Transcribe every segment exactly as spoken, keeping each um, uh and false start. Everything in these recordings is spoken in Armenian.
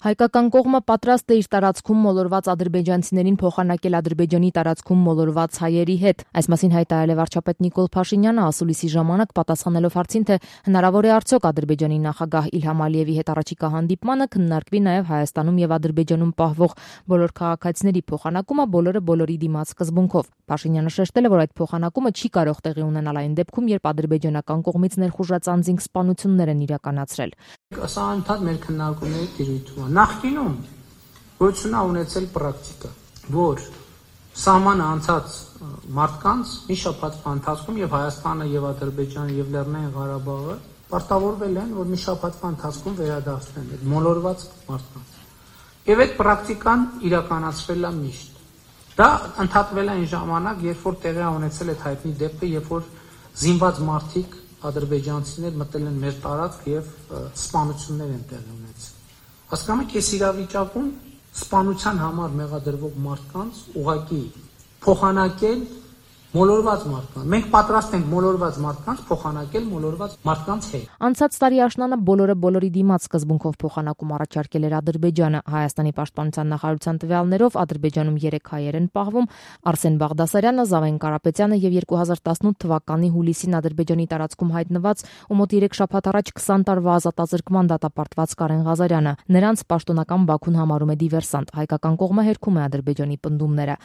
Հայկական կողմը պատրաստ է իր տարածքում մոլորված ադրբեջանցիներին փոխանակել Ադրբեջանի տարածքում մոլորված հայերի հետ։ Այս մասին հայտարարել է վարչապետ Նիկոլ Փաշինյանը ասուլիսի ժամանակ, պատասխանելով հարցին, թե հնարավոր է արդյոք Ադրբեջանի նախագահ Իլհամ Ալիևի հետ առաջիկա հանդիպմանը քննարկվի նաև Հայաստանում եւ Ադրբեջանում պահվող բոլոր քաղաքացիների փոխանակումը բոլորը բոլորի դիմաց սկզբունքով։ Փաշինյանը շեշտել է, որ այդ փոխանակումը չի կարող տեղի ունենալ այն դեպքում, երբ ադրբեջանական կողմից ներխուժած անձինք սպանություններ են իրականացրել։ Սա ընդհանուր մեր քննարկումների տիրույթում է։ Նախկինում գոյություն է ունեցել պրակտիկա, որ սահմանը անցած մարդկանց մի շաբաթվա ընթացքում եւ Հայաստանը եւ Ադրբեջանը եւ Լեռնային Ղարաբաղը պարտավորվել են, որ մի շաբաթվա ընթացքում վերադարձնեն այդ մոլորված մարդկանց։ Եվ այդ պրակտիկան իրականացվել է միշտ։ Դա ընդհատվել է այն ժամանակ, երբ որ տեղի է ունեցել այդ հայտնի դեպքը, երբ որ զինված մարդիկ ադրբեջանցիներ մտել են մեր տարածք եւ սպանություններ են տեղի ունեցել։ Հասկանում եք, այս իրավիճակում սպանության համար մեղադրվող մարդկանց ուղղակի փոխանակել մոլորված մարդկանց։ Մենք պատրաստ ենք մոլորված մարդկանց փոխանակել մոլորված մարդկանց հետ։ Անցած տարի աշնանը բոլորը բոլորի դիմաց սկզբունքով փոխանակում առաջարկել էր Ադրբեջանը։ Հայաստանի պաշտպանության նախարարության տվյալներով Ադրբեջանում երեք հայեր են պահվում՝ Արսեն Բաղդասարյանը, Զավեն Կարապետյանը եւ երկու հազար տասնութ թվականի հուլիսին Ադրբեջանի տարածքում հայտնված ու մոտ երեք շաբաթ առաջ քսան տարվա ազատազրկման դատապարտված Կարեն Ղազարյանը։ Նրանց պաշտոնական Բաքուն համարում է դիվերսանտ։ Հայկական կողմը հերքում է Ադրբեջանի պնդումները։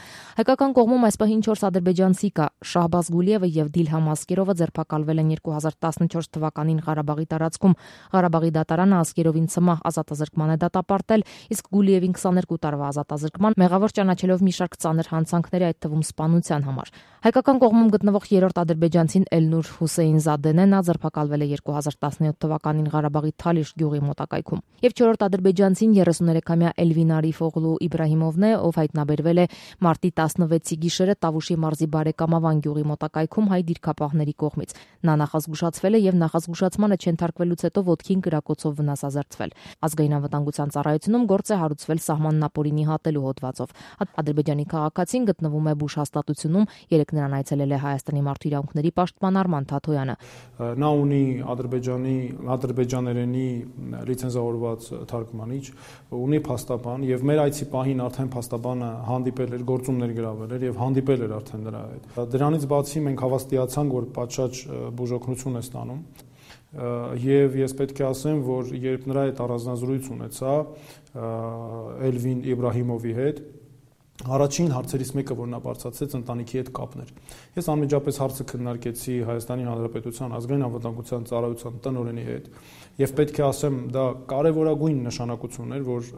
Հայկական կողմում այս պահին չորս ադրբեջանցի Շահբազ Գուլիևը եւ Դիլհամ Ասկերովը ձերբակալվել են երկու հազար տասնչորս թվականին Ղարաբաղի տարածքում։ Ղարաբաղի դատարանը Ասկերովին ցմահ ազատազրկման է դատապարտել, իսկ Գուլիևին քսաներկու տարվա ազատազրկման, մեղավոր ճանաչելով մի շարք ծանր հանցանքների, այդ թվում սպանության համար։ Հայկական կողմում գտնվող երրորդ ադրբեջանցին Էլնուր Հուսեյնզադեն է, նա ձերբակալվել է երկու հազար տասնյոթ թվականին Ղարաբաղի Թալիշ գյուղի մոտակայքում։ Եվ չորրորդ ադրբեջանցին երեսուներեքամյա Էլվին Արիֆօղլու Իբրահիմովն է, ով հայտնաբերվել է մարտի տասնվեցի գիշերը Տավուշի մարզի Բարեկամավան գյուղի մոտակայքում հայ դիրքապահների կողմից։ Նա նախազգուշացվել է եւ նախազգուշացմանը չենթարկվելուց հետո ոտքին կրակոցով վնասազերծվել։ Ազգային անվտանգության ծառայությունում գործ է հարուցվել սահմանն ապօրինի հատելու հոդվածով։ Ադրբեջանի քաղաքացին գտնվում է Բուշ հաստատությունում, երեք նրան այցելել է Հայաստանի մարդու իրավունքների պաշտպան Արման Թաթոյանը։ Նա ունի ադրբեջանի ադրբեջաներենի լիցենզավորված թարգմանիչ, ունի փաստաբան եւ մեր այցի պահին արդեն փաստաբանը հանդիպել էր, գործումներ գրավել էր եւ հանդիպել էր արդեն նրա հետ։ Դրանից բացի մենք հավաստիացանք, որ պատշաճ բուժօգնություն է ստանում եւ ես պետք է ասեմ, որ երբ նրա հետ առանձնազրույց ունեցա Էլվին Իբրահիմովի հետ, առաջին հարցերից մեկը, որ նա բարձրացրեց, ընտանիքի հետ կապն էր։ Ես անմիջապես հարցը քննարկեցի Հայաստանի Հանրապետության ազգային անվտանգության ծառայության տնօրենի հետ եւ պետք է ասեմ, դա կարեւորագույն նշանակություն էր, որ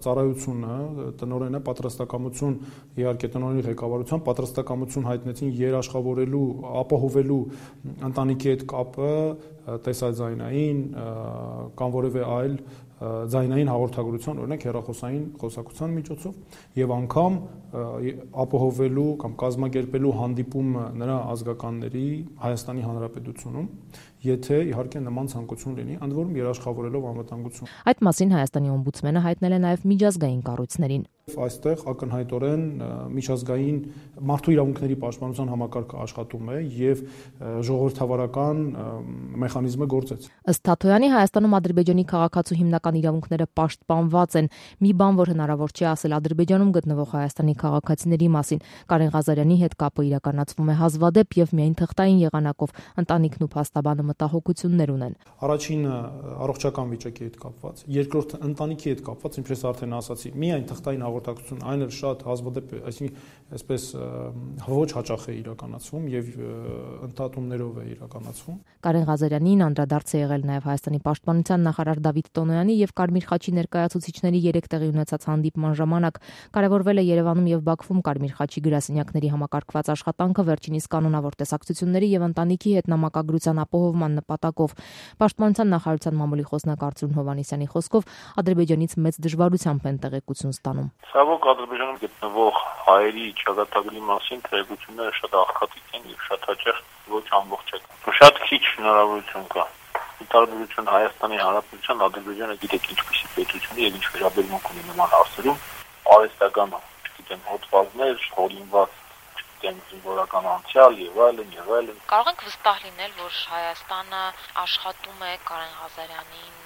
ծառայությունը, տնօրենը պատրաստակամություն, իհարկե տնօրենի ղեկավարությամբ պատրաստակամություն հայտնեցին երաշխավորելու, ապահովելու ընտանիքի հետ կապը տեսաձայնային կամ որևէ այլ ձայնային հաղորդագրության, օրինակ հեռախոսային խոսակցության միջոցով եւ անգամ ապահովելու կամ կազմակերպելու հանդիպումը նրա ազգականների Հայաստանի Հանրապետությունում, եթե իհարկե նման ցանկություն լինի, ընդ որում երաշխավորելով անվտանգություն։ Այդ մասին Հայաստանի օմբուդսմենը հայտնել է նաև միջազգային կառույցներին։ Այստեղ ակնհայտորեն միջազգային մարդու իրավունքների պաշտպանության համակարգը աշխատում է եւ ժողովրդավարական մեխանիզմը գործեց։ Ըստ Թաթոյանի Հայաստանում Ադրբեջանի քաղաքացու հիմնական իրավունքները պաշտպանված են։ Մի բան, որ հնարավոր չի ասել Ադրբեջանում գտնվող Հայաստանի քաղաքացիների մասին։ Կարեն Ղազարյանի հետ կապը իրականացվում է հազվադեպ եւ միայն թղթային եղանակով։ Ընտանիքն ու փաստաբանը մտահոգություններ ունեն։ Առաջինը առողջական վիճակի հետ կապված, երկրորդը ընտանիքի հետ կապված, ինչպես արդեն ասացի, միայն թղթային հաղորդակցություն, այն էլ շատ հազվադեպ, այսինքն այսպես ոչ հաճախ է իրականացվում եւ ընդհատումներով է իրականացվում։ Կարեն Ղազարյանին անդրադարձ է եղել նաեւ Հայաստանի պաշտպանության նախարար Դավիթ Տոնոյանի եւ Կարմիր խաչի ներկայացուցիչների երեք տեղի ունեցած հանդիպման ժամանակ։ Կարևորվել է Երևանում եւ Բաքվում Կարմիր խաչի գրասենյակների համակարգված աշխատանքը, վերջինիս կանոնավոր տեսակցությունների եւ ընտանիքի հետ նամակագրության ապահովման նպատակով։ Պաշտպանության նախարարության մամուլի խոսնակ Արծրուն Հովհաննիսյանի խոսքով Ադրբեջանից մեծ դժվարությամբ են տեղեկություն ստանում։ Ցավոք Ադրբեջանում գտնվող հայերի ճակատագրի մասին տեղեկությունները շատ աղքատիկ են եւ շատ հաճախ ոչ ամբողջական։ Շատ քիչ հնարավորություն կա։ Ի տարբերություն Հայաստանի Հանրապետության, Ադրբեջանը գիտեք ինչպիսի պետություն եւ ինչ վերաբերմունք ունի նման հարցերում, արհեստական, չգիտեմ, հոդվածներ, հորինված, չգիտեմ, զինվորական անցյալ եւ այլն եւ այլն։ Կարող ենք վստահ լինել, որ Հայաստանը աշխատում է Կարեն Ղազարյանին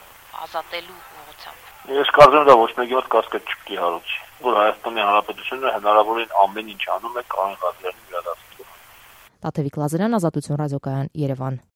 ազատելու ուղղությամբ։ Ես կարծում եմ դա ոչ մեկի մոտ կասկած չկի հարուցի, որ Հայաստանի Հանրապետությունը հնարավորին ամեն ինչ անում է Կարեն Ղազարյանի վերադարձնելու։ Տաթևիկ Լազարյան, Ազատություն ռադիոկայան, Երևան։